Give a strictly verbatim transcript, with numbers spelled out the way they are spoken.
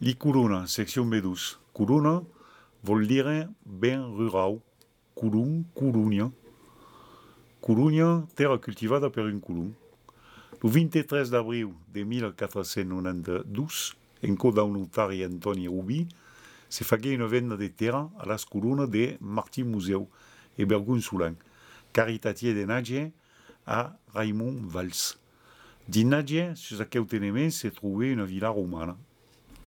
Li Curuna, section B douze. Curuna vol dire ben rural. Curun, Curunya. Curunya, terra cultivada per un curun. El vint-i-tres d'abril de mil quatre-cents noranta-dos, en coda un notari Antoni Rubí, se fagué una venda de terra a las Curunas de Martí Museu e Bergun Sulan, caritatier de Nadje a Raimon Valls. Di Nadje, sus aquel tenement, se trouvait una villa romana.